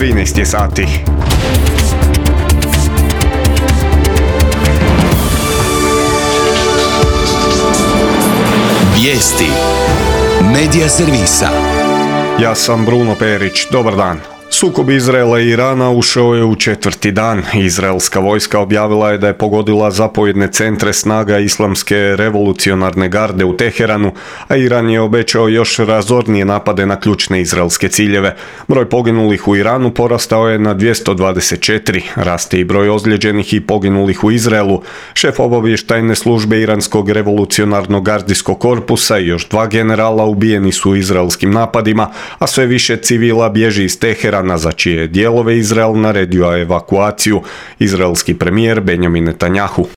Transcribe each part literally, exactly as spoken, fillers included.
trinaest je sati. Vijesti Medija servisa. Ja sam Bruno Perić, dobar dan. Sukob Izraela i Irana ušao je u četvrti dan. Izraelska vojska objavila je da je pogodila zapovjedne centre snaga Islamske revolucionarne garde u Teheranu, a Iran je obećao još razornije napade na ključne izraelske ciljeve. Broj poginulih u Iranu porastao je na dvjesto dvadeset četiri, raste i broj ozlijeđenih i poginulih u Izraelu. Šef obavještajne službe Iranskog revolucionarnog gardijskog korpusa i još dva generala ubijeni su u izraelskim napadima, a sve više civila bježi iz Teherana, za čije dijelove Izrael naredio evakuaciju. Izraelski premijer Benjamin Netanjahu.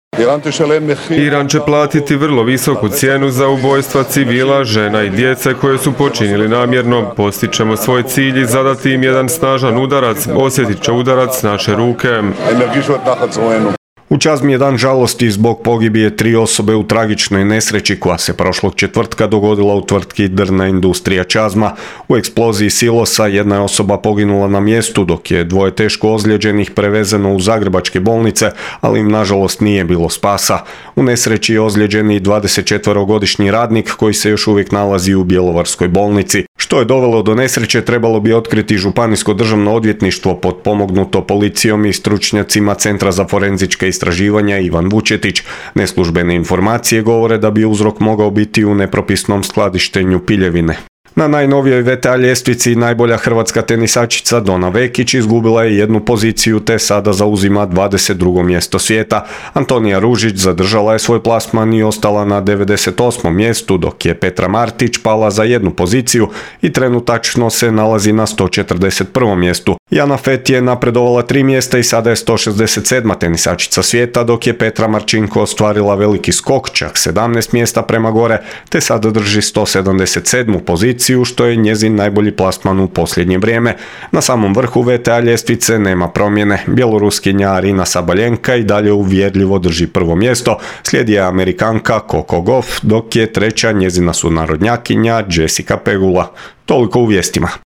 Iran će platiti vrlo visoku cijenu za ubojstva civila, žena i djece koje su počinili namjerno. Postićemo svoj cilj i zadati im jedan snažan udarac. Osjetit će udarac naše ruke. U Čazmi je dan žalosti zbog pogibije tri osobe u tragičnoj nesreći koja se prošlog četvrtka dogodila u tvrtki Drvna industrija Čazma. U eksploziji silosa jedna je osoba poginula na mjestu, dok je dvoje teško ozlijeđenih prevezeno u zagrebačke bolnice, ali im nažalost nije bilo spasa. U nesreći je ozlijeđen i dvadesetčetverogodišnji radnik koji se još uvijek nalazi u Bjelovarskoj bolnici. Što je dovelo do nesreće trebalo bi otkriti Županijsko državno odvjetništvo potpomognuto policijom i stručnjacima Centra za forenzičke istraživanja Ivan Vučetić. Neslužbene informacije govore da bi uzrok mogao biti u nepropisnom skladištenju piljevine. Na najnovijoj V T A ljestvici najbolja hrvatska tenisačica Dona Vekić izgubila je jednu poziciju te sada zauzima dvadeset drugo mjesto svijeta. Antonija Ružić zadržala je svoj plasman i ostala na devedeset osmom mjestu, dok je Petra Martić pala za jednu poziciju i trenutačno se nalazi na sto četrdeset prvom mjestu. Jana Fett je napredovala tri mjesta i sada je sto šezdeset sedma tenisačica svijeta, dok je Petra Marčinko ostvarila veliki skok, čak sedamnaest mjesta prema gore, te sada drži sto sedamdeset sedmu poziciju, što je njezin najbolji plasman u posljednje vrijeme. Na samom vrhu V T A ljestvice nema promjene. Bjeloruskinja Arina Sabaljenka i dalje uvjerljivo drži prvo mjesto, slijedi je Amerikanka Coco Gauff, dok je treća njezina sunarodnjakinja Jessica Pegula. Toliko u vijestima.